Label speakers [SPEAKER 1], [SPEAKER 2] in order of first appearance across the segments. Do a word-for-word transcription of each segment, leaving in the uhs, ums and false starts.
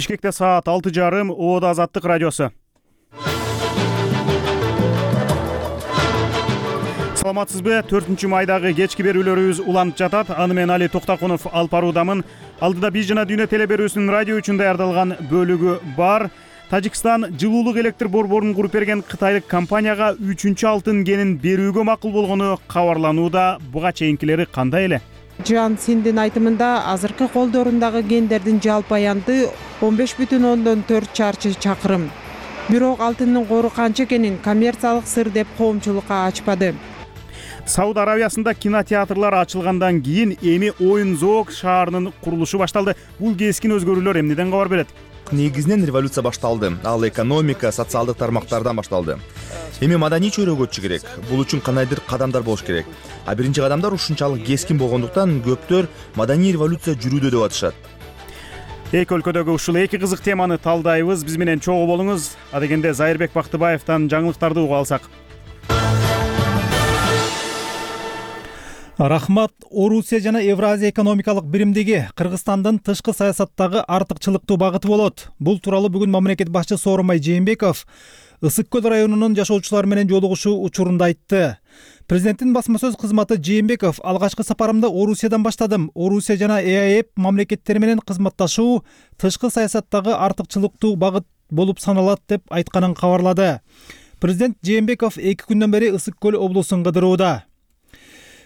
[SPEAKER 1] Бишкекте саат алты жарым, Оода Азаттык радиосу. Саламатсызбы? төртүнчү майдагы кечки берүүлөрүбүз уланып жатат. Аны мен Али Токтакунов алып баруудамын. Алдыда биз жана дүйнө теле берүүсүнүн радио үчүн даярдалган бөлүгү бар. Тажикстан жылуулук электр борборун куруп берген кытайлык компанияга үчүнчү алтын кенин берүүгө макул болгону кабарланууда. Буга чейинкилери кандай эле?
[SPEAKER 2] Жан Синдин айтымында азыркы колдорундагы кендердин жалпы аянты он беш бүтүн ондон төрт чарчы чакырым. Бирок алтындын кору канча экенин коммерциялык сыр деп коомчулукка ачпады.
[SPEAKER 1] Сауд Арабиясында кинотеатрлар ачылгандан кийин эми Оюн-Зоок шаарынын курулушу башталды. Бул кескин өзгөрүүлөр эмнеден кабар берет?
[SPEAKER 3] Негизинен революция башталды. Ал экономика, социалдык тармактардан башталды. Эми маданий чөйрөгө өтүшү керек. Бул үчүн кандайдыр кадамдар болуш керек. А биринчи кадамдар ушунчалык кескин болгондуктан көптөр маданий революция жүрүүдө деп атышат.
[SPEAKER 1] Эки өлкөдөгү ушул эки кызык теманы талдайбыз. Биз менен чогуу болуңуз. Адегенде Зайырбек Бактыбаевден жаңылыктарды угуп алсак.
[SPEAKER 4] Рахмат. Орусия жана Евразия экономикалык биримдиги Кыргызстандын тышкы саясаттагы артыкчылыктуу багыты болот. Бул тууралуу бүгүн мамлекет башчысы Сооронбай Жээнбеков Ысык көл районунун жашоочулары менен жолугушуу учурунда айтты. Президенттин басма сөз кызматы Жээнбеков алгачкы сапарымды Орусиядан баштадым. Орусия жана ЭАЭП мамлекеттери менен кызматташуу тышкы саясаттагы артыкчылыктуу багыт болуп саналат деп айтканын кабарлады. Президент Жээнбеков эки күндөн бери Ысык көл облусун кыдырууда.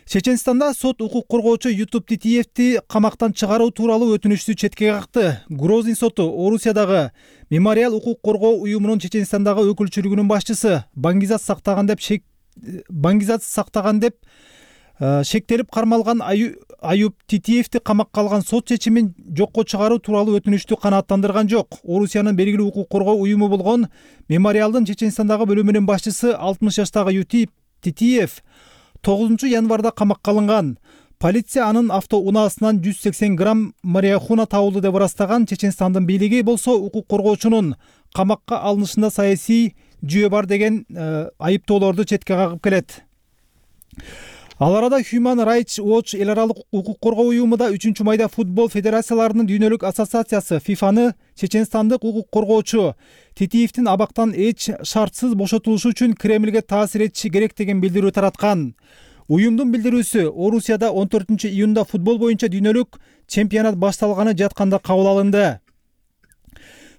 [SPEAKER 4] Чеченстанда сот укук коргоочу Ютуб Титиевди камактан чыгаруу тууралуу өтүнүчтү четке какты. Грозный соту Орусиядагы Мемориал укук коргоо уюмунун Чеченстандагы өкүлчүлүгүнүн башчысы Баңгизат сактаган деп шек Баңгизат сактаган деп шектелип кармалган Аюп Титиевди камакка алган сот чечимин жокко чыгаруу тууралуу өтүнүчтү канааттандырган жок. Орусиянын белгилүү укук коргоо уюму болгон Мемориалдын Чеченстандагы бөлүмүнүн башчысы алтымыш жаштагы Ютуб Титиев тогузунчу январда камакка алынган. Полиция анын автоунаасынан жүз сексен грамм марихуана табылды деп ырастаган. Чеченстандын бийлиги болсо укук коргоочунун камакка алынышында саясий жүйө бар деген э, айыптоолорду четке кагып келет. Ал арада Human Rights Watch эл аралык укук коргоо уюму да үчүнчү майда футбол федерацияларынын дүйнөлүк ассоциациясы фифаны чеченстандык укук коргоочу Титиевдин абактан эч шартсыз бошотулушу үчүн Кремлге таасир этиши керек деген билдирүү тараткан. Уюмдун билдирүүсү Орусияда он төртүнчү июнда футбол боюнча дүйнөлүк чемпионат башталганы жатканда кабыл алынды.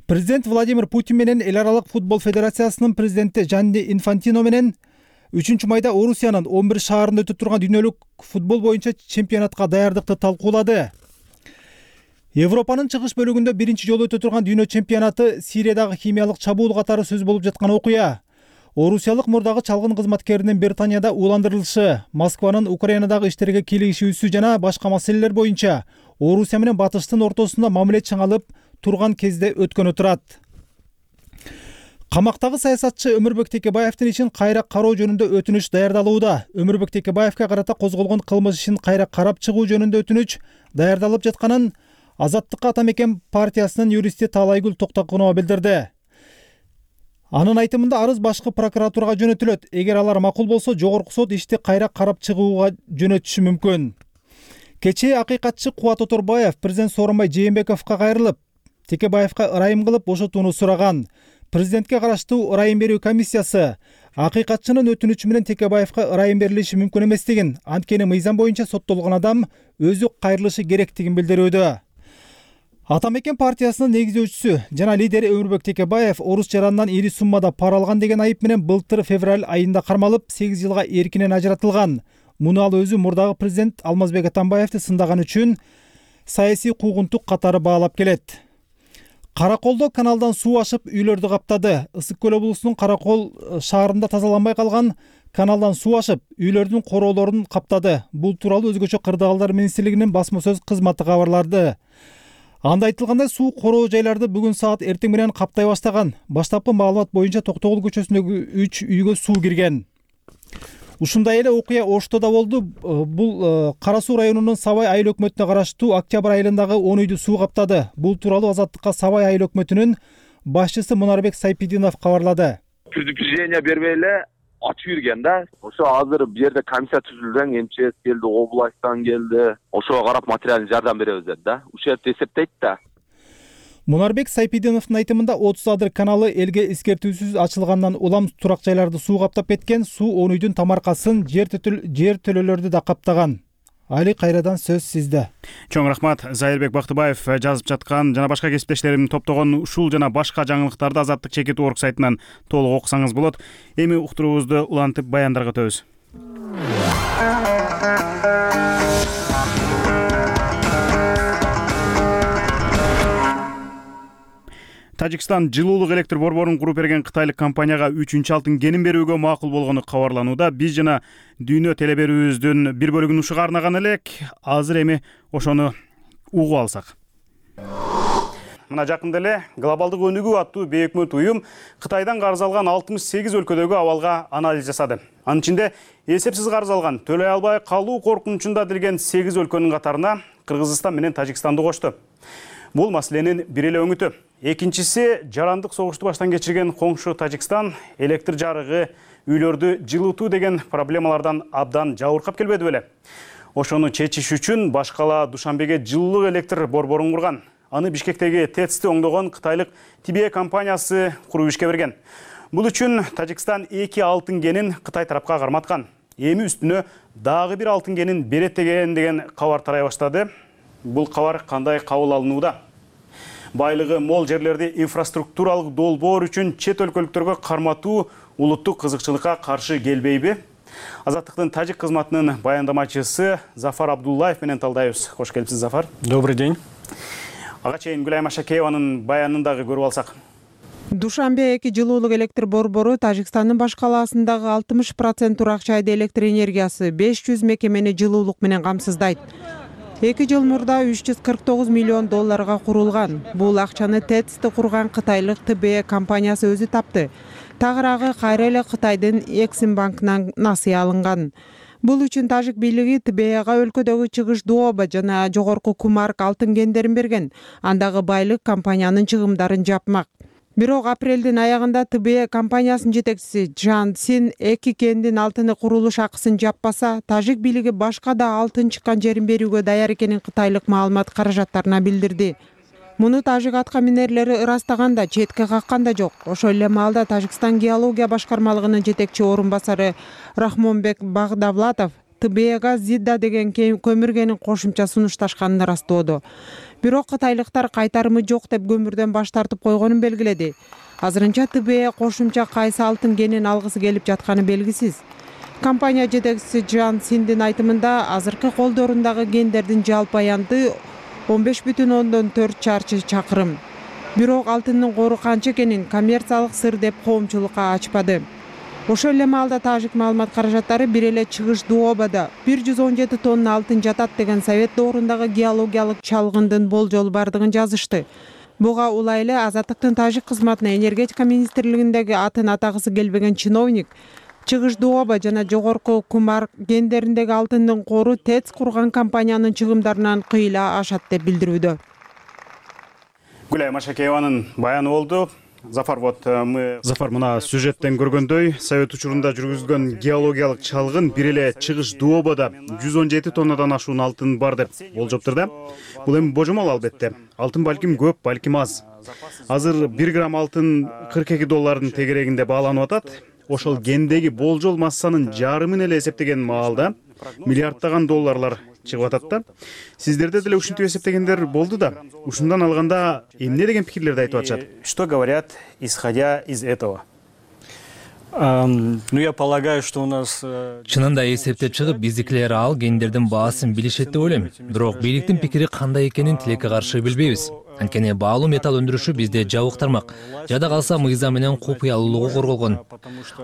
[SPEAKER 4] Президент Владимир Путин менен эл аралык футбол федерациясынын президенти Джанни Инфантино менен үчүнчү майда Орусиянын он бир шаарында өтүп турган дүйнөлүк футбол боюнча чемпионатка даярдыкты талкуулады. Европанын чыгыш бөлүгүндө биринчи жолу өтө турган дүйнө чемпионаты Сириядагы химиялык чабуул катары сөз болуп жаткан окуя. Орусиялык мурдагы чалгын кызматкеринин Британияда ууландырылышы, Москванын Украинадагы иштерге кийлигишүүсү жана башка маселелер боюнча Орусия менен Батыштын ортосунда мамиле чыңалып турган кезде өткөнү турат. Камактагы саясатчы Өмүрбек Текебаевдин ишин кайра кароо жөнүндө өтүнүч даярдалууда. Өмүрбек Текебаевге карата козголгон кылмыш ишин кайра карап чыгуу жөнүндө өтүнүч даярдалып жатканын Азаттыкка ата мекен партиясынын юристи Таалайгүл Токтокунова билдирди. Анын айтымында арыз башкы прокуратурага жөнөтүлөт. Эгер алар макул болсо, жогорку сот ишти кайра карап чыгууга жөнөтүшү мүмкүн. Кечээ акыйкатчы Кубат Оторбаев президент Сооронбай Жээнбековго кайрылып, Текебаевга ырайым кылып бошотууну сураган. Президентке караштуу ырайым берүү комиссиясы акыйкатчынын өтүнүчү менен Текебаевга ырайым берилиши мүмкүн эместигин, анткени мыйзам боюнча соттолгон адам өзү кайрылышы керектигин билдирүүдө. Ата мекен партиясынын негиздөөчүсү жана лидери Өмүрбек Текебаев орус жаранынан ири суммада пара алган деген айып менен былтыр февраль айында кармалып, сегиз жылга эркинен ажыратылган. Муну ал өзү мурдагы президент Алмазбек Атамбаевди сындаган үчүн саясий куугунтук катары баалап келет. Караколдо каналдан суу ашып үйлөрдү каптады. Ысык көл облусунун Каракол шаарында тазаланбай калган каналдан суу ашып үйлөрдүн короолорун каптады. Бул тууралуу өзгөчө кырдаалдар министрлигинин басма сөз кызматы кабарлады. Анда айтылгандай, суу короо жайларды бүгүн саат эртең менен каптай баштаган. Баштапкы маалымат боюнча Токтогул көчөсүндөгү үч үйгө суу кирген. Ушундай эле окуя Ошто да болду. Бул Кара Суу районунун Сабай айыл өкмөтүнө караштуу Октябрь айылындагы он үйдү суу каптады. Бул тууралуу Азаттыкка Сабай айыл өкмөтүнүн башчысы Мунарбек Сайпидинов кабарлады.
[SPEAKER 5] Предупреждение бербей эле ачып жүргөн да. Ошо азыр бу жерде комиссия түзүлгөн, МЧС келди, областтан келди. Ошого карап материалдык жардам беребиз деп да. Ушерт эсептейт да.
[SPEAKER 4] Мунарбек Сайпидиновдун айтымында отуз адыр каналы элге эскертүүсүз ачылгандан улам турак жайларды суу каптап кеткен. Суу он үйдүн тамаркасын, жер төлөлөрдү да каптаган. Али, кайрадан сөз сизде.
[SPEAKER 1] Чоң рахмат. Зайырбек Бактыбаев жазып жаткан жана башка кесиптештерим топтогон ушул жана башка жаңылыктарды Азаттык чекит орг сайтынан толук окусаңыз болот. Эми уктуруубузду улантып баяндарга өтөбүз. Тажикстан жылуулук электр борборун куруп берген кытайлык компанияга үчүнчү алтын кенин берүүгө макул болгону кабарланууда. Биз жана дүйнө теле берүүбүздүн бир бөлүгүн ушуга арнаган элек. Азыр эми ошону угуп алсак. Мына жакында эле глобалдык өнүгүү аттуу бейөкмөт уюм Кытайдан карыз алган алтымыш сегиз өлкөдөгү абалга анализ жасады. Анын ичинде эсепсиз карыз алган, төлөй албай калуу коркунучунда дилген сегиз өлкөнүн катарына Кыргызстан менен Тажикстанды кошту. Бул маселенин бир эле өңүтү. Экинчиси жарандык согушту баштан кечирген коңшу Тажикстан электр жарыгы, үйлөрдү жылытуу деген проблемалардан абдан жабыркап келбеди беле. Ошону чечиш үчүн башкала Душанбеге жылуулук электр борборун курган. Аны Бишкектеги ТЭЦти оңдогон кытайлык Тибе компаниясы куруп ишке берген. Бул үчүн Тажикстан эки алтын кенин Кытай тарапка карматкан. Эми үстүнө дагы бир алтын кенин берет деген деген кабар тарай баштады. Бул кабар кандай кабыл алынууда? Байлыгы мол жерлерди инфраструктуралык долбоор үчүн чет өлкөлүктөргө карматуу улуттук кызыкчылыкка каршы келбейби? Азаттыктын тажик кызматынын баяндамачысы Зафар Абдуллаев менен талдайбыз. Кош келипсиз, Зафар.
[SPEAKER 6] Добрый день.
[SPEAKER 1] Ага чейин Гүлайым Ашакееванын баянын дагы көрүп алсак.
[SPEAKER 2] Душанбе эки жылуулук электр борбору Тажикстандын баш калаасындагы алтымыш процент турак жайда электр энергиясы, беш жүз мекемени жылуулук менен камсыздайт. эки жыл мурда үч жүз кырк тогуз миллион долларга курулган. Бул акчаны ТЭЦти курган кытайлык Тибе компаниясы өзү тапты. Тагыраагы кайра эле Кытайдын Эксим банкынан насыя алынган. Бул үчүн тажик бийлиги Тибега өлкөдөгү чыгыш Дуоба жана жогорку Кумарк алтын кендерин берген. Андагы байлык компаниянын чыгымдарын жапмак. Бирок апрелдин аягында Тибе компаниясынын жетекчиси Джан Син эки кендин алтыны курулуш акысын жаппаса, тажик бийлиги башка да алтын чыккан жерин берүүгө даяр экенин кытайлык маалымат каражаттарына билдирди. Муну тажик атка минерлери ырастаган да, четке каккан да жок. Ошол эле маалда Тажикстан геология башкармалыгынын жетекчи орун басары Рахмонбек Багдавлатов Тибега Зидда деген көмүр кенин кошумча сунушташканын ырастоодо. Бирок кытайлыктар кайтарымы жок деп көмүрдөн баш тартып койгонун белгиледи. Азырынча Тибе кошумча кайсы алтын кенин алгысы келип жатканы белгисиз. Компания жетекчиси Джан Синдин айтымында азыркы колдорундагы кендердин жалпы аянты он беш бүтүн ондон төрт чарчы чакырым. Бирок алтындын кору канча экенин коммерциялык сыр деп коомчулукка ачпады. Ошол эле маалда тажик маалымат каражаттары бир эле чыгыш Дуобада бир жүз он жети тонна алтын жатат деген совет доорундагы геологиялык чалгындын болжолу бардыгын жазышты. Буга улай эле Азаттыктын тажик кызматына энергетика министрлигиндеги атын атагысы келбеген чиновник чыгыш Дуоба жана жогорку Кумарк кендериндеги алтындын кору ТЭЦ курган компаниянын чыгымдарынан кыйла ашат деп билдирүүдө.
[SPEAKER 1] Гүлайым Ашакееванын баяны болду. Зафар, вот мы Зафар мына сюжеттен көргөндөй, совет учурунда жүргүзүлгөн геологиялык чалгын бир эле чыгыш Дуобада жүз он жети тоннадан ашуун алтын бар деп болжоптур да. Бул эми божомол албетте. Алтын балким көп, балким аз. Азыр бир грамм алтын кырк эки доллардын тегерегинде бааланып атат. Ошол кендеги болжол массанын жарымын эле эсептеген маалда миллиарддаган долларлар чыгып атат да. Сиздерде деле ушинтип эсептегендер болду да. Ушундан алганда эмне деген пикирлерди айтып атышат?
[SPEAKER 6] Что говорят, исходя из этого? Ну, я полагаю, что у нас...
[SPEAKER 7] Чынында эсептеп чыгып, биздикилер ал кендердин баасын билишет деп ойлойм. Бирок бийликтин пикири кандай экенин тилекке каршы билбейбиз. Анткени баалуу металл өндүрүшү бизде жабык тармак. Жада калса мыйзам менен купуялуулугу корголгон.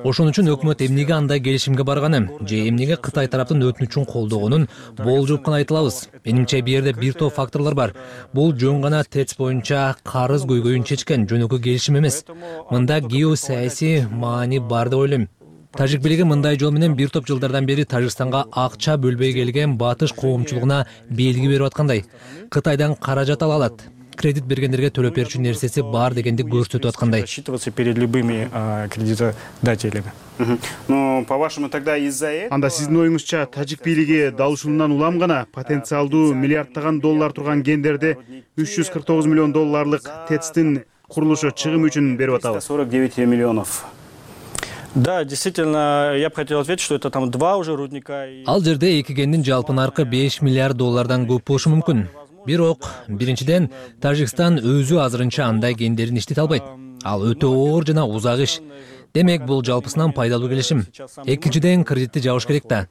[SPEAKER 7] Ошон үчүн өкмөт эмнеге андай келишимге барганын же эмнеге Кытай тараптын өтүнүчүн колдогонун болжоп гана айта алабыз. Менимче бул жерде бир топ факторлор бар. Бул жөн гана ТЭЦ боюнча карыз көйгөйүн чечкен жөнөкөй келишим эмес. Мында геосаясий маани бар деп ойлойм. Тажик бийлиги мындай жол менен бир топ жылдардан бери Тажикстанга акча бөлбөй келген батыш коомчулугуна белги берип аткандай. Кытайдан каражат ала алат. кредит бергендерге төлөп берүүчү нерсеси бар дегенди көрсөтүп аткандай.
[SPEAKER 6] Рассчитываться перед любыми а, кредитодателями.
[SPEAKER 1] Ну, по-вашему, тогда из-за этого... Анда сиздин оюңузча тажик бийлиги дал ушундан улам гана потенциалдуу миллиарддаган доллар турган гендерди үч жүз кырк тогуз миллион долларлык ТЭЦтин курулушу чыгым үчүн берип атабы?
[SPEAKER 6] сорок девять миллионов. Да, действительно, я бы хотел ответить, что это там два уже рудника.
[SPEAKER 7] Ал жерде эки кендин жалпы наркы беш миллиард доллардан көп болушу мүмкүн. Бирок, биринчиден, Тажикстан өзү азырынча андай кендерин иштете албайт. Ал өтө оор жана узак иш. Демек, бул жалпысынан пайдалуу келишим. Экинчиден, кредитти жабыш керек да.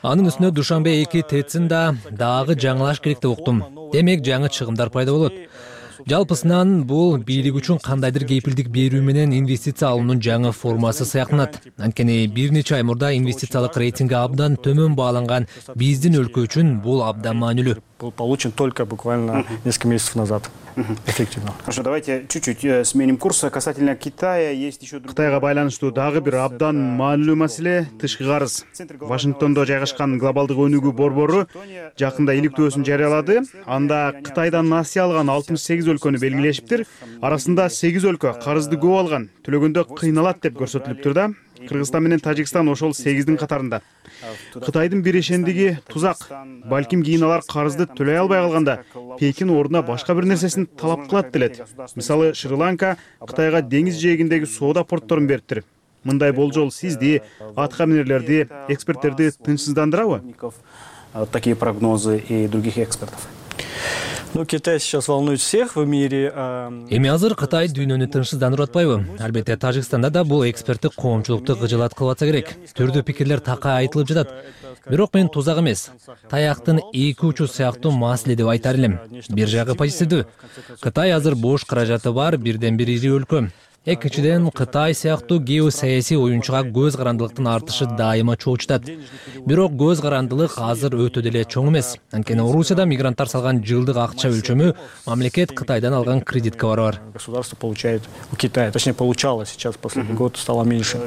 [SPEAKER 7] Анын үстүнө Душанбе эки ТЭЦин да дагы жаңылаш керек деп уктум. Демек, жаңы чыгымдар пайда болот. Жалпысынан бул бийлик үчүн кандайдыр кепилдик берүү менен инвестиция алуунун жаңы формасы сыяктанат. Анткени бир нече ай мурда инвестициялык рейтинги абдан төмөн бааланган биздин өлкө үчүн бул абдан маанилүү.
[SPEAKER 6] Был получен только буквально несколько месяцев назад. Эффективно.
[SPEAKER 1] Хорошо, давайте чуть-чуть сменим курс. Касательно Китая, есть еще... Кытайга байланыштуу дагы бир абдан маанилүү маселе — тышкы карыз. Вашингтондо жайгашкан глобалдык өнүгүү борбору жакында иликтөөсүн жарыялады. Анда Кытайдан насыя алган алтымыш сегиз өлкөнү белгилешиптир. Арасында сегиз өлкө карызды көп алган, төлөгөндө кыйналат деп көрсөтүлүптүр да. Кыргызстан менен Тажикстан ошол сегиздин катарында. Кытайдын бирешендиги тузак. Балким кийин алар карызды төлөй албай калганда Пекин ордуна башка бир нерсесин талап кылат делет. Мисалы, Шри-Ланка Кытайга деңиз жээгиндеги соода портторун бериптир. Мындай болжол сизди, атка минерлерди, эксперттерди тынчсыздандырабы?
[SPEAKER 6] Такие прогнозы и других экспертов. Ну, Китай сейчас волнует всех в мире.
[SPEAKER 7] Эми азыр Кытай дүйнөнү тынчсыздандырып атпайбы? Албетте, Тажикстанда да бул эксперттик коомчулукту кыжылаткылып атса керек. Түрдүү пикирлер така айтылып жатат. Бирок мен тузак эмес, таяктын эки учу сыяктуу маселе деп айтар элем. Бир жагы позитивдүү. Кытай азыр бош каражаты бар бирден бир ири өлкө. Экинчиден, Кытай сыяктуу геосаясий оюнчуга көз карандылыктын артышы дайыма чоочутат. Бирок көз карандылык азыр өтө деле чоң эмес. Анткени Орусияда мигранттар салган жылдык акча өлчөмү мамлекет Кытайдан алган кредитке барабар.
[SPEAKER 6] Государство получает у Китая, точнее получало, сейчас последний год стало меньше.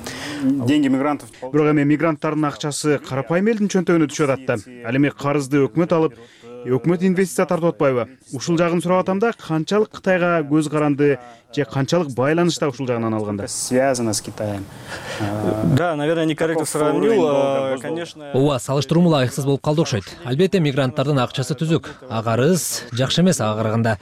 [SPEAKER 1] Деньги мигрантов. Бирок эми мигранттардын акчасы карапайым элдин чөнтөгүнө түшүп атат да. Ал эми карызды өкмөт алып, өкмөт инвестиция тартып атпайбы? Ушул жагын сурап атам да, канчалык Кытайга көз каранды же канчалык байланышта ушул жагынан алганда?
[SPEAKER 6] Связано с Китаем. Да, наверное, некорректно сравнил, конечно.
[SPEAKER 7] Ооба, салыштыруу ылайыксыз болуп калды окшойт. Албетте, мигранттардын акчасы түзүк. А карыз жакшы эмес ага караганда.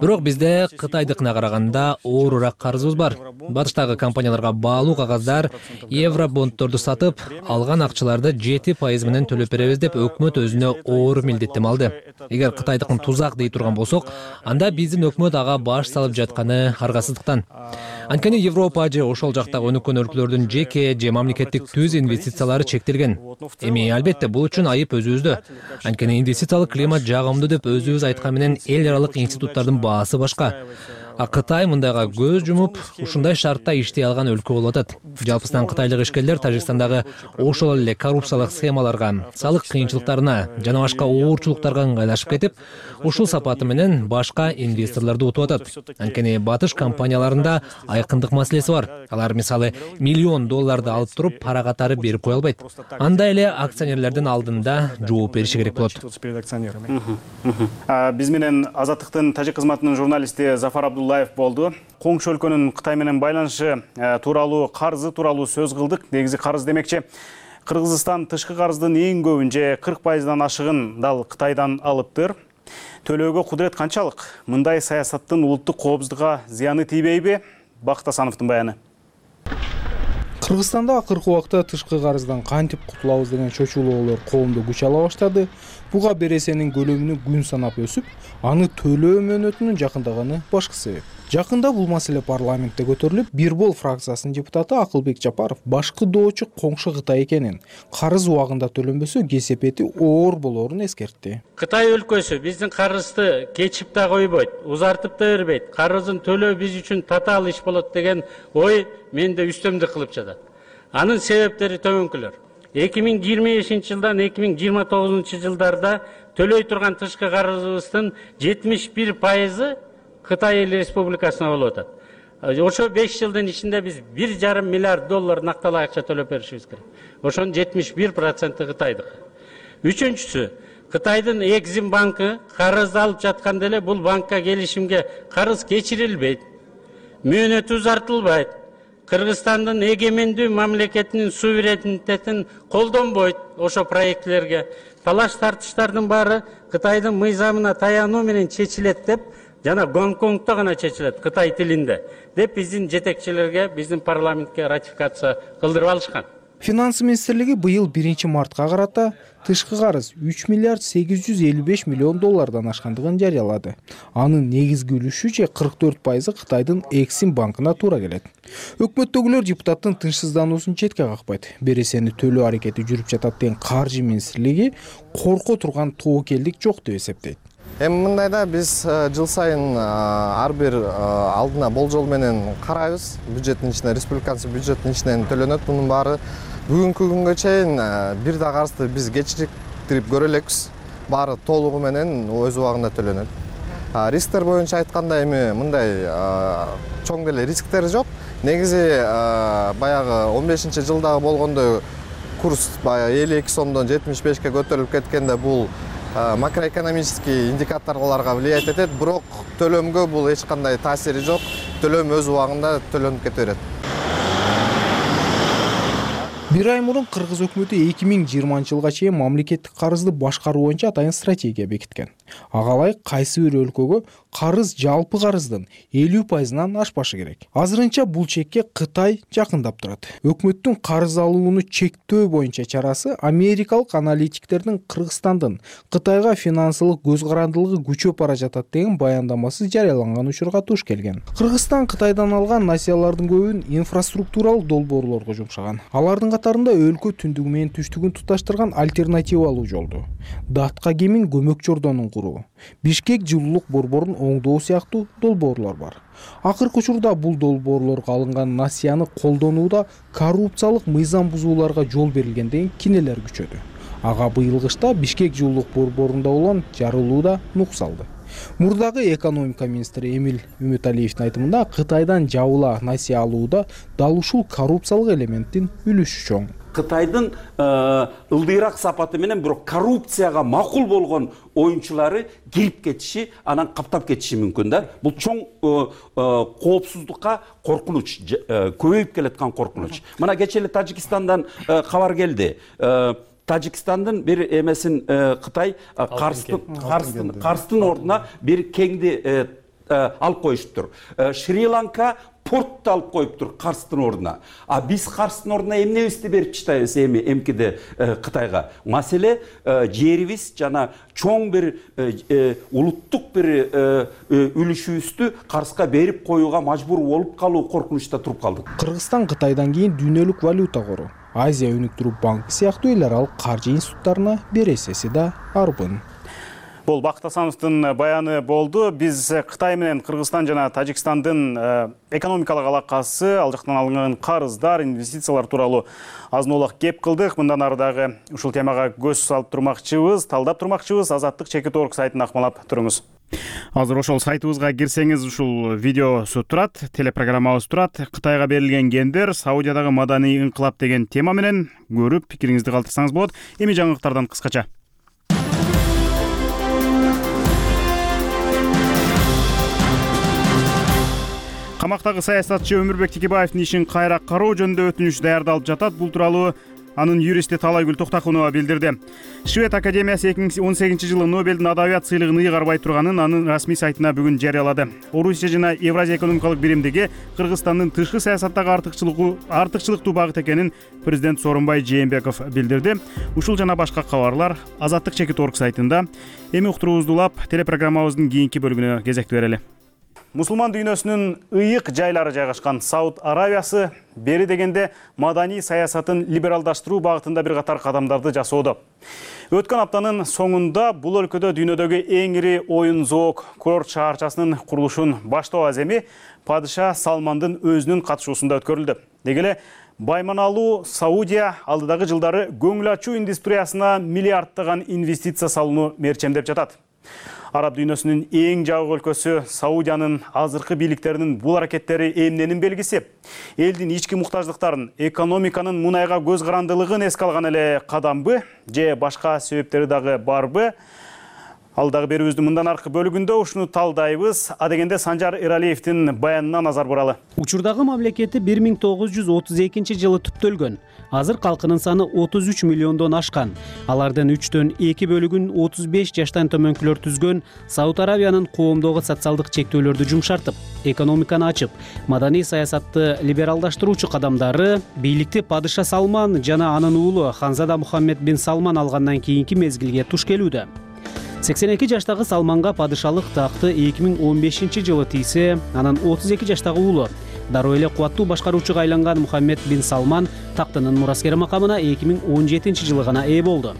[SPEAKER 7] Бирок бизде Кытайдыкына караганда оорураак карызыбыз бар. Батыштагы компанияларга баалуу кагаздар, евро бонддорду сатып, алган акчаларды жети пайыз менен төлөп беребиз деп өкмөт өзүнө оор милдеттеме алды. Эгер Кытайдыкын тузак дей турган болсок, анда биздин өкмөт ага баш салып жатканы аргасыздыктан. Анткени Европа же ошол жактагы өнүккөн өлкөлөрдүн жеке же мамлекеттик түз инвестициялары чектелген. Эми албетте бул үчүн айып өзүбүздө. Анткени инвестициялык климат жагымдуу деп өзүбүз айткан менен эл аралык институттардын баасы башка. А Кытай мындайга көз жумуп, ушундай шартта иштей алган өлкө болуп атат. Жалпысынан кытайлык ишкерлер Тажикстандагы ошол эле коррупциялык схемаларга, салык кыйынчылыктарына жана башка оорчулуктарга ыңгайлашып кетип, ушул сапаты менен башка инвесторлорду утуп атат. Анткени батыш компанияларында айкындык маселеси бар. Алар мисалы миллион долларды алып туруп, пара катары берип кое албайт. Анда эле акционерлердин алдында жооп бериши керек болот.
[SPEAKER 1] Биз менен Азаттыктын тажик кызматынын журналисти Зафар Абдуллаев болду. Коңшу өлкөнүн Кытай менен байланышы тууралуу, карызы тууралуу сөз кылдык. Негизи карыз демекчи, Кыргызстан тышкы карыздын эң көбүн же кырк пайыздан ашыгын дал Кытайдан алыптыр. Төлөөгө кудурет канчалык? Мындай саясаттын улуттук коопсуздукка зыяны тийбейби? Бакыт Асановдун баяны.
[SPEAKER 8] Кыргызстанда акыркы убакта тышкы карыздан кантип кутулабыз деген чочулоолор коомдо күч ала баштады. Буга бересенин көлөмүнүн күн санап өсүп, аны төлөө мөөнөтүнүн жакындаганы башкы себеп. Жакында бул маселе парламентте көтөрүлүп, Бир бол фракциясынын депутаты Акылбек Жапаров башкыдоочу коңшу Кытай экенин, карыз убагында төлөнбөсө кесепети оор болоорун эскертти.
[SPEAKER 9] Кытай өлкөсү биздин карызды кечип да койбойт, узартып да бербейт. Карызын төлөө биз үчүн татаал иш болот деген ой менде үстөмдүк кылып жатат. Анын себептери төмөнкүлөр. эки миң жыйырма бешинчи жылдан эки миң жыйырма тогузунчу жылдарда төлөй турган тышкы карызыбыздын жетимиш бир пайызы Кытай Республикасына болуп атат. Ошо беш жылдын ичинде биз бир жарым миллиард доллар накталай акча төлөп беришибиз керек. Ошонун жетимиш бир проценти Кытайдык. Үчүнчүсү, Кытайдын Экзим банкы карызды алып жатканда эле бул банкка келишимге карыз кечирилбейт, мөөнөтү узартылбайт, Кыргызстандын эгемендүү мамлекетинин суверенитетин колдонбойт. Ошо проектлерге талаш тартыштардын баары Кытайдын мыйзамына таянуу менен чечилет деп, жана Гонконгдо гана чечилет Кытай тилинде деп биздин жетекчилерге, биздин парламентке ратификация кылдырып алышкан.
[SPEAKER 8] Финанс министрлиги быйыл биринчи мартка карата тышкы карыз үч миллиард сегиз жүз элүү беш миллион доллардан ашкандыгын жарыялады. Анын негизги үлүшү же кырк төрт пайызы Кытайдын Эксим банкына туура келет. Өкмөттөгүлөр депутаттын тынчсыздануусун четке какпайт. Бересени төлөө аракети жүрүп жатат деген каржы министрлиги корко турган тобокелдик жок деп эсептейт.
[SPEAKER 10] Эми мындайда биз жыл сайын ар бир алдына болжол менен карайбыз. Бюджеттин ичинен, республиканын бюджеттин ичинен төлөнөт. Мунун баары бүгүнкү күнгө чейин бир да карызды биз кечириктирип көрө элекпиз. Баары толугу менен өз убагында төлөнөт. Рисктер боюнча айтканда эми мындай чоң деле рисктер жок. Негизи баягы он бешинчи жылдагы болгондой курс баягы элүү эки сомдон жетимиш бешке көтөрүлүп кеткенде бул макроэкономический индикаторлорго влиять этет, бирок төлөмгө бул эч кандай таасири жок. Төлөм өз убагында төлөнүп кете берет.
[SPEAKER 8] Бир ай мурун Кыргыз өкмөтү эки миң жыйырманчы жылга чейин мамлекеттик карызды башкаруу боюнча атайын стратегия бекиткен. Ага ылайык кайсы бир өлкөгө карыз жалпы карыздын элүү пайызынан ашпашы керек. Азырынча бул чекке Кытай жакындап турат. Өкмөттүн карыз алууну чектөө боюнча чарасы америкалык аналитиктердин Кыргызстандын Кытайга финансылык көз карандылыгы күчөп бара жатат деген баяндамасы жарыяланган учурга туш келген. Кыргызстан Кытайдан алган насыялардын көбүн инфраструктуралык долбоорлорго жумшаган. Алардын катарында өлкө түндүгү менен түштүгүн туташтырган альтернативалуу жолду, Датка кемин көмөк чордонун куруу, Бишкек жылуулук борборун оңдоо сыяктуу долбоорлор бар. Акыркы учурда бул долбоорлорго алынган насыяны колдонууда коррупциялык мыйзам бузууларга жол берилген деген кинелер күчөдү. Ага быйыл кышта Бишкек жылуулук борборунда болгон жарылууда нук салды. Мурдагы экономика министри Эмил Үмүталиевдин айтымында Кытайдан жабыла насыя алууда дал ушул коррупциялык элементтин үлүшү чоң.
[SPEAKER 11] Кытайдын ылдыйраак сапаты менен бирок коррупцияга макул болгон оюнчулары кирип кетиши, анан каптап кетиши мүмкүн да. Бул чоң коопсуздукка коркунуч, көбөйүп келаткан коркунуч. Мына кечээ эле Тажикстандан кабар келди. Тажикстандын бир эмесин Кытай Карстын Карстын ордуна бир кеңди алып коюшуптур. Шри-Ланка портты алып коюптур Карстын ордуна. А биз Карстын ордуна эмнебизди берип чыштайбыз эми эмкиде Кытайга? Маселе жерибиз жана чоң бир улуттук бир үлүшүбүздү Карска берип коюуга мажбур болуп калуу коркунучта туруп калдык.
[SPEAKER 8] Кыргызстан Кытайдан кийин дүйнөлүк валюта кору, Азия өнүктүрүү банкы сыяктуу эл аралык каржы институттарына бересеси да арбын.
[SPEAKER 1] Бул Бакыт Асановдун баяны болду. Биз Кытай менен Кыргызстан жана Тажикстандын экономикалык алакасы, ал жактан алынган карыздар, инвестициялар тууралуу азын-аулак кеп кылдык. Мындан ары дагы ушул темага көз салып турмакчыбыз, талдап турмакчыбыз. Азаттык чекит орг сайтын акмалап туруңуз. Азыр ошол сайтыбызга кирсеңиз ушул видеосу турат, телепрограммабыз турат. Кытайга берилген гендер, Саудиядагы маданий инкылап деген тема менен көрүп пикириңизди калтырсаңыз болот. Эми жаңылыктардан кыскача. Камактагы саясатчы Өмүрбек Текебаевдин ишин кайра кароо жөнүндө өтүнүч даярдалып жатат. Бул тууралуу анын юристи Талайгүл Токтакунова билдирди. Швед академиясы эки миң он сегизинчи жылы Нобелдин адабият сыйлыгын ыйгарбай турганын анын расмий сайтына бүгүн жарыялады. Орусия жана Евразия экономикалык биримдиги Кыргызстандын тышкы саясаттагы артыкчылыгы артыкчылыктуу багыт экенин президент Сооронбай Жээнбеков билдирди. Ушул жана башка кабарлар Азаттык чекит орг сайтында. Эми уктуруубузду улап, телепрограммабыздын кийинки бөлүгүнө кезекти берели. Мусулман дүйнөсүнүн ыйык жайлары жайгашкан Сауд Аравиясы бери дегенде маданий саясатын либералдаштыруу багытында бир катар кадамдарды жасоодо. Өткөн аптанын соңунда бул өлкөдө дүйнөдөгү эң ири оюн зоок курорт шаарчасынын курулушун баштоо аземи падыша Салмандын өзүнүн катышуусунда өткөрүлдү. Деги эле байманалуу Саудия алдыдагы жылдары көңүл ачуу индустриясына миллиарддаган инвестиция салууну мерчемдеп жатат. Араб дүйнөсүнүн эң жабык өлкөсү Саудиянын азыркы бийликтеринин бул аракеттери эмненин белгиси? Элдин ички муктаждыктарын, экономиканын мунайга көз карандылыгын эске алган эле кадамбы же башка себептери дагы барбы? Алдагы берүүбүздүн мындан аркы бөлүгүндө ушуну талдайбыз. Адегенде Санжар Эралиевдин баянына назар буралы.
[SPEAKER 12] Учурдагы мамлекети бир миң тогуз жүз отуз экинчи жылы түптөлгөн. Азыр калкынын саны отуз үч миллиондон ашкан. Алардын үчтөн эки бөлүгүн отуз беш жаштан төмөнкүлөр түзгөн. Сауд Арабиянын коомдогу социалдык чектөөлөрдү жумшартып, экономиканы ачып, маданий саясатты либералдаштыруучу кадамдары бийликти падыша Салман жана анын уулу Ханзада Мухаммед бин Салман алгандан кийинки мезгилге туш келүүдө. сексен эки жаштагы Салманга падышалык такты эки миң он бешинчи жылы тийсе, анын отуз эки жаштагы уулу дароо эле кубаттуу башкаруучуга айланган Мухаммед бин Салман тактынын мураскери макамына эки миң он жетинчи жылы гана ээ болду.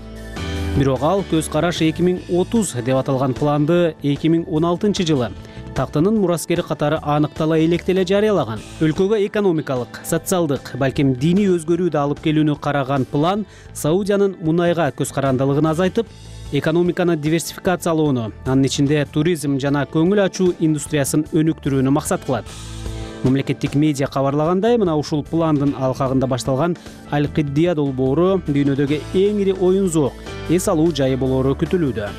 [SPEAKER 12] Бирок ал көз караш эки миң отуз деп аталган планды эки миң он алтынчы жылы тактынын мураскери катары аныктала электеле жарыялаган. Өлкөгө экономикалык, социалдык, балким диний өзгөрүүдө алып келүүнү караган план Саудиянын мунайга көз карандылыгын азайтып, экономиканы диверсификациялоону, анын ичинде туризм жана көңүл ачуу индустриясын өнүктүрүүнү максат кылат. Мамлекеттик медиа кабарлагандай, мына ушул пландын алкагында башталган Аль-Киддия долбоору дүйнөдөгү эң ири оюн зоок, эс алуу жайы болоору күтүлүүдө.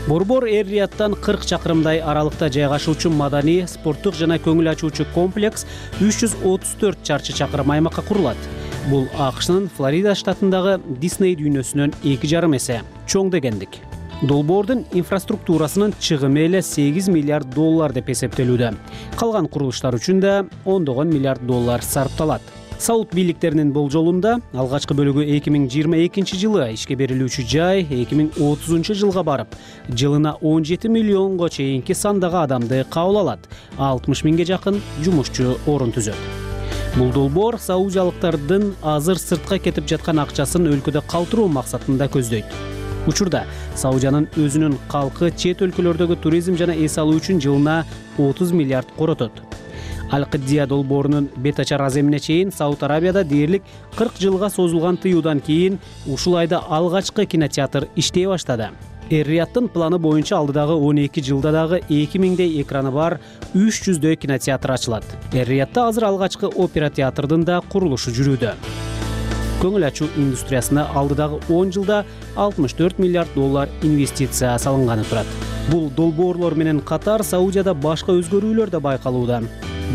[SPEAKER 12] Борбор Эр-Рияттан кырк чакырымдай аралыкта жайгашуучу маданий, спорттук жана көңүл ачуучу комплекс үч жүз отуз төрт чарчы чакырым аймакка курулат. Бул АКШнын Флорида штатындагы Дисней дүйнөсүнөн эки жарым эсе чоң дегендик. Долбоордун инфраструктурасынын чыгымы эле сегиз миллиард доллар деп эсептелүүдө. Калган курулуштар үчүн да ондогон миллиард доллар сарпталат. Сауд бийликтеринин болжолунда алгачкы бөлүгү эки миң жыйырма экинчи жылы ишке берилүүчү жай эки миң отузунчу жылга барып, жылына он жети миллионго чейинки сандагы адамды кабыл алат, алтымыш миңге жакын жумушчу орун түзөт. Бул долбоор саудиялыктардын азыр сыртка кетип жаткан акчасын өлкөдө калтыруу максатында көздөйт. Учурда Саудиянын өзүнүн калкы чет өлкөлөрдөгү туризм жана эс алуу үчүн жылына отуз миллиард коротот. Аль-Киддия долбоорунун бет ачар аземине чейин Сауд Арабияда дээрлик кырк жылга созулган тыюудан кийин ушул айда алгачкы кинотеатр иштей баштады. Эр-Рияттын планы боюнча алдыдагы он эки жылда дагы эки миңдей экраны бар үч жүздөй кинотеатр ачылат. Эр-Риятта азыр алгачкы опера театрдын да курулушу жүрүүдө. Көңүл ачуу индустриясына алдыдагы он жылда алтымыш төрт миллиард доллар инвестиция салынганы турат. Бул долбоорлор менен катар Саудияда башка өзгөрүүлөр да байкалууда.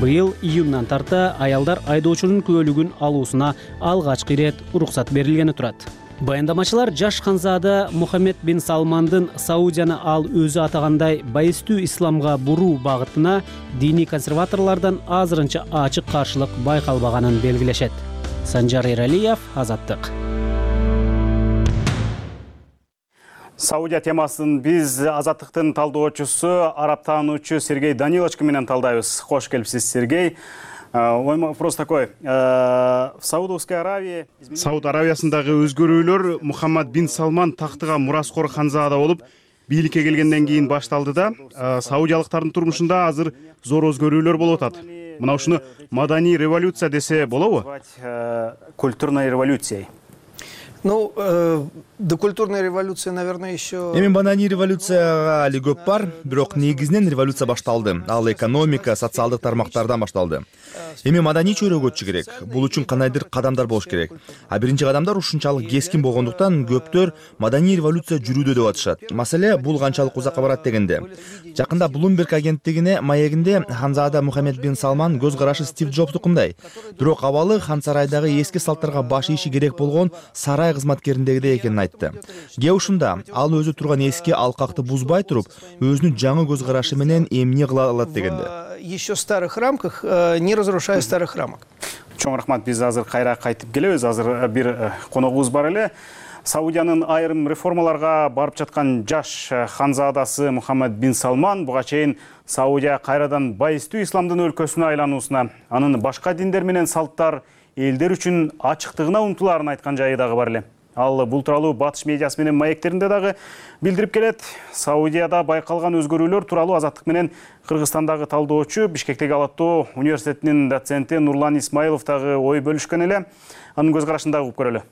[SPEAKER 12] Быйыл июндан тарта аялдар айдоочунун күбөлүгүн алуусуна алгачкы ирет уруксат берилгени турат. Баяндамачылар жаш Ханзада Мухаммед бин Салмандын Саудияны ал өзү атагандай байыстуу исламга буруу багытына диний консерваторлордон азырынча ачык каршылык байкалбаганын белгилешет. Санжар Эралиев, Азаттык.
[SPEAKER 1] Саудия темасын биз Азаттыктын талдоочусу, араб таануучу Сергей Данилович менен талдайбыз. Кош келипсиз, Сергей. Мой вопрос такой. В Саудовской Аравии... Сауд Аравиясындагы өзгөрүүлөр Мухаммад бин Салман тактыга мураскор Ханзада болуп, бийликке келгенден кийин башталды да, саудиялыктардын турмушунда азыр зор өзгөрүүлөр болуп атат. Мына ушуну маданий революция десе болобу? Культурной революцией.
[SPEAKER 13] Ну, э, до культурной революции, наверное, еще...
[SPEAKER 3] Эми маданий революцияга али көп бар, бирок негизинен революция башталды. Ал экономика, социалдык тармактардан башталды. Эми маданий чөйрөгө өтүшү керек. Бул үчүн кандайдыр кадамдар болуш керек. А биринчи кадамдар ушунчалык кескин болгондуктан көптөр маданий революция жүрүүдө деп атышат. Маселе бул канчалык узакка барат дегенде. Жакында Bloomberg агенттигине маегинде Ханзада Мухаммед бин Салман көз карашы Стив Джобстукундай. Бирок абалы хан сарайдагы эски салттарга баш ийиши керек болгон сарай кызматкериндегидей экенин айтты. Ге ушунда ал өзү турган эски алкакты бузбай туруп, өзүнүн жаңы көз карашы менен эмне кыла алат дегенде.
[SPEAKER 13] Еще старых рамках, не разрушая старых рамок.
[SPEAKER 1] Чоң рахмат, биз азыр кайра кайтып келебиз. Азыр бир коногубуз бар эле. Саудиянын айрым реформаларга барып жаткан жаш ханзадасы Мухаммад бин Салман буга чейин Саудия кайрадан байыстуу исламдын өлкөсүнө айлануусуна, анын башка диндер менен салттар элдер үчүн ачыктыгына умтулаарын айткан жайы дагы бар эле. Ал бул тууралуу батыш медиасы менен маектеринде дагы билдирип келет. Саудияда байкалган өзгөрүүлөр тууралуу Азаттык менен Кыргызстандагы талдоочу, Бишкектеги Ала-Тоо университетинин доценти Нурлан Исмаилов дагы ой бөлүшкөн эле. Анын көз карашын дагы угуп көрөлү.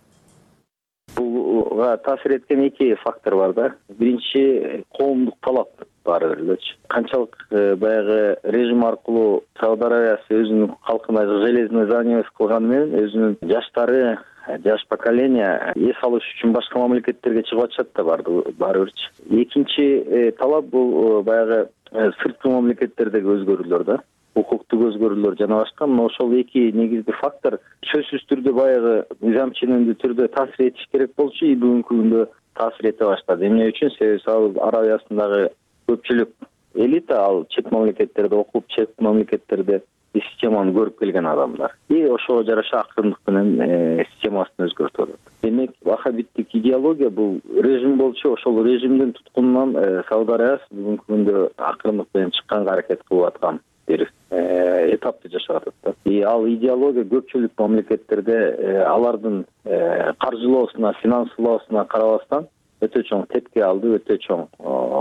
[SPEAKER 14] Булга таасир эткен эки фактор бар да. Биринчи коомдук талап. баары бир элечи. Канчалык баягы режим аркылуу Сауд Аравиясы өзүнүн калкына железный занавес кылганы менен өзүнүн жаштары, жаш поколение эс алыш үчүн башка мамлекеттерге чыгып атышат да баары бирчи. Экинчи талап бул баягы сырткы мамлекеттердеги өзгөрүүлөр да. Укуктук өзгөрүүлөр жана башка. Мына ошол эки негизги фактор сөзсүз түрдө баягы мыйзам ченемдүү түрдө таасир этиш керек болчу, и бүгүнкү күндө таасир эте баштады. Эмне үчүн? Себеби Сауд Аравиясындагы көпчүлүк элита ал чет мамлекеттерде окуп, чет мамлекеттерде системаны көрүп келген адамдар. И ошого жараша акырындык менен системасын өзгөртүп атат. Демек, вахабиттик идеология бул режим болчу, ошол режимдин туткунунан Сауд Аравиясы бүгүнкү күндө акырындык менен чыкканга аракет кылып аткан бир этапты жашап атат да. И ал идеология көпчүлүк мамлекеттерде алардын каржылоосуна, финансылоосуна карабастан өтө чоң тепки алды, өтө чоң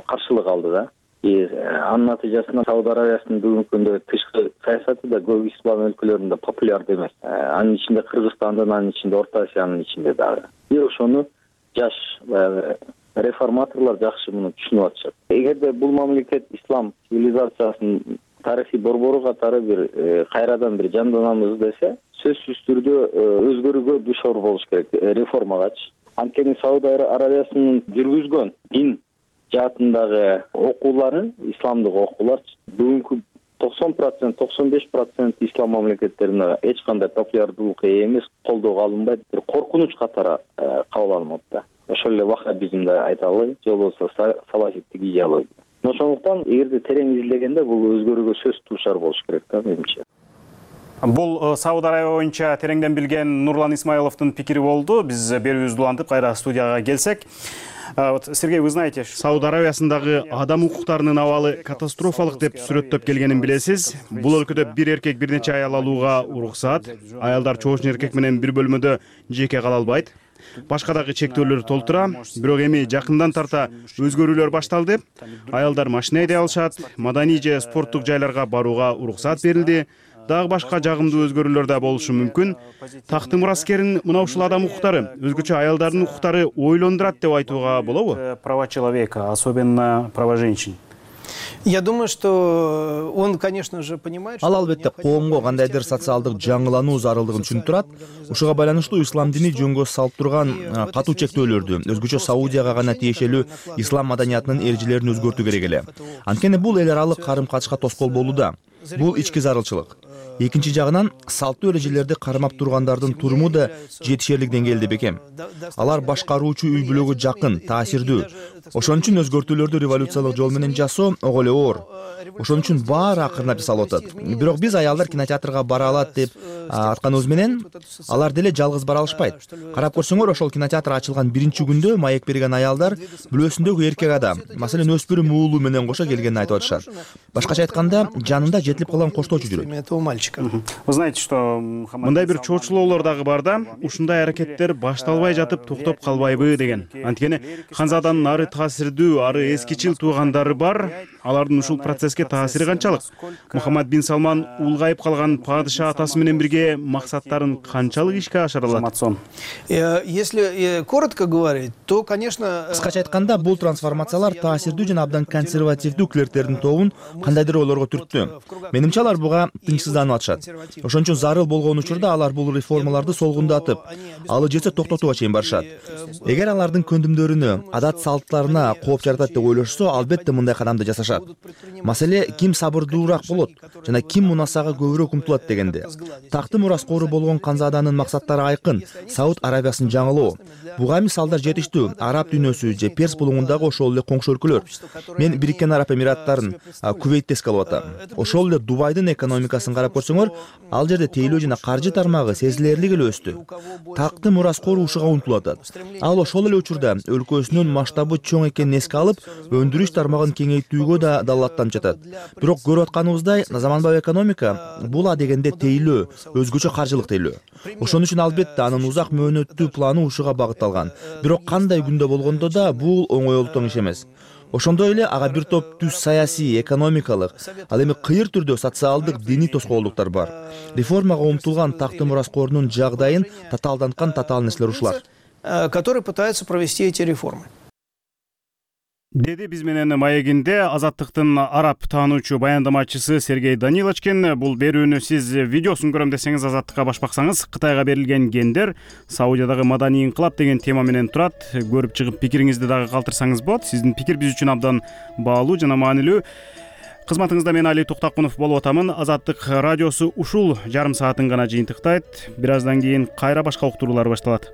[SPEAKER 14] каршылык алды да. И анын натыйжасында Сауд Аравиясынын бүгүнкү күндө тышкы саясаты да көп ислам өлкөлөрүндө популярдуу эмес. Анын ичинде Кыргызстандын, анын ичинде Орто Азиянын ичинде дагы. И ошону жаш реформаторлор жакшы муну түшүнүп атышат. Эгерде бул мамлекет ислам цивилизациясынын тарыхый борбору катары бир кайрадан бир жанданамыз десе, сөзсүз түрдө өзгөрүүгө душар болуш керек, реформагачы. Анткени Сауд Аравиясынын жүргүзгөн дин жаатындагы окуулары, исламдык окуулар бүгүнкү токсон процент, токсон беш процент ислам мамлекеттеринде эч кандай популярдуулукка ээ эмес, колдоого алынбайт, бир коркунуч катары кабыл алынат да. Ошол эле ваххабизмди айта алайын, же болбосо салафиттик идеология. Ошондуктан эгерде терең изилдегенде бул өзгөрүүгө сөз дуушар болуш керек да, менимче.
[SPEAKER 1] Бул Сауд Аравия боюнча тереңден билген Нурлан Исмаиловдун пикири болду. Биз берүүбүздү улантып кайра студияга келсек. Вот, Сергей, вы знаете, Сауд Аравиясындагы адам укуктарынын абалы катастрофалык деп сүрөттөп келгенин билесиз. Бул өлкөдө бир эркек бир нече аял алууга уруксат. Аялдар чоошун эркек менен бир бөлмөдө жеке кала албайт. Башка дагы чектөөлөр толтура. Бирок эми жакындан тарта өзгөрүүлөр башталды. Аялдар машина айдай алышат, маданий же спорттук жайларга барууга уруксат берилди. Дагы башка жагымдуу өзгөрүүлөр да болушу мүмкүн. Такты мураскерин мына ушул адам укуктары, өзгөчө аялдардын укуктары ойлондурат деп айтууга болобу?
[SPEAKER 6] Права человека, особенно права женщин.
[SPEAKER 13] Я думаю, что он, конечно же, понимает,
[SPEAKER 3] Ал албетте коомго кандайдыр социалдык жаңылануу зарылдыгын түшүнүп турат. Ушуга байланыштуу ислам дини жөнгө салып турган катуу чектөөлөрдү, өзгөчө Саудияга гана тиешелүү ислам маданиятынын эрежелерин өзгөртүү керек эле. Анткени бул эл аралык карым-качышка тоскоол болууда. Бул ички зарылчылык. Экинчи жагынан салттуу эрежелерди кармап тургандардын туруму да жетишерлик деңгээлде бекем. Алар башкаруучу үй бүлөгө жакын, таасирдүү. Ошон үчүн өзгөртүүлөрдү революциялык жол менен жасоо ого эле оор. Ошон үчүн баары акырындап жасалып атат. Бирок биз аялдар кинотеатрга бара алат деп атканыбыз менен алар деле жалгыз бара алышпайт. Карап көрсөңөр, ошол кинотеатр ачылган биринчи күндө маек берген аялдар бүлөсүндөгү эркек адам, маселен өспүрүм уулу менен кошо келгенин айтып атышат. Башкача айтканда, жанында жетилип калган коштоочу жүрөт.
[SPEAKER 6] Вы знаете, что
[SPEAKER 1] мындай бир чоочулоолор дагы бар да, ушундай аракеттер башталбай жатып токтоп калбайбы деген. Анткени Ханзаданын ары таасирдүү, ары эскичил туугандары бар. Алардын ушул процесске таасири канчалык? Мухаммад бин Салман улгайып калган падыша атасы менен бирге максаттарын канчалык ишке ашыра алат?
[SPEAKER 13] Если коротко говорить, то, конечно,
[SPEAKER 3] кыскача айтканда, бул трансформациялар таасирдүү жана абдан консервативдүү клерктердин тобун кандайдыр ойлорго түрттү. Менимче алар буга тынчсызданып атышат. Ошон үчүн зарыл болгон учурда алар бул реформаларды солгундатып, алы жетсе токтотууга чейин барышат. Эгер алардын көндүмдөрүнө, адат салттарына кооп жаратат деп ойлошсо, албетте мындай кадамды жасашат. Маселе ким сабырдуураак болот жана ким мунасага көбүрөөк умтулат дегенде. Такты мураскору болгон Ханзаданын максаттары айкын: Сауд Аравиясын жаңылоо. Буга мисалдар жетиштүү. Араб дүйнөсү же Перс булуңундагы ошол эле коңшу өлкөлөр. Мен Бириккен Араб Эмираттарын, Кувейтти эске алып атам. Ошол эле Дубайдын экономикасын карап көрсөңөр, ал жерде тейлөө жана каржы тармагы сезилерлик эле өстү. Такты мураскору ушуга умтулуп атат. Ал ошол эле учурда өлкөсүнүн масштабы чоң экенин эске алып, өндүрүш тармагын кеңейтүүгө да далааттанып жатат. Бирок көрүп атканыбыздай, заманбап экономика бул адегенде тейлөө, өзгөчө каржылык тейлөө. Ошон үчүн албетте анын узак мөөнөттүү планы ушуга багытталган. Бирок кандай күндө болгондо да бул оңойлуктан иш эмес. Ошондой эле ага бир топ түз саясий, экономикалык, ал эми кыйыр түрдө социалдык, диний тоскоолдуктар бар. Реформага умтулган такты мураскорунун жагдайын татаалданткан татаал нерселер ушулар,
[SPEAKER 13] которые пытаются провести эти реформы.
[SPEAKER 1] деди биз менен маегинде Азаттыктын араб таануучу баяндамачысы Сергей Даниловичкин. Бул берүүнү сиз видеосун көрөм десеңиз Азаттыкка баш баксаңыз, Кытайга берилген гендер Саудиядагы маданий инкылап деген тема менен турат. Көрүп чыгып пикириңизди дагы калтырсаңыз болот. Сиздин пикир биз үчүн абдан баалуу жана маанилүү. Кызматыңызда мен Али Токтакунов болуп атамын. Азаттык радиосу ушул жарым саатын гана жыйынтыктайт. Бир аздан кийин кайра башка уктуруулар башталат.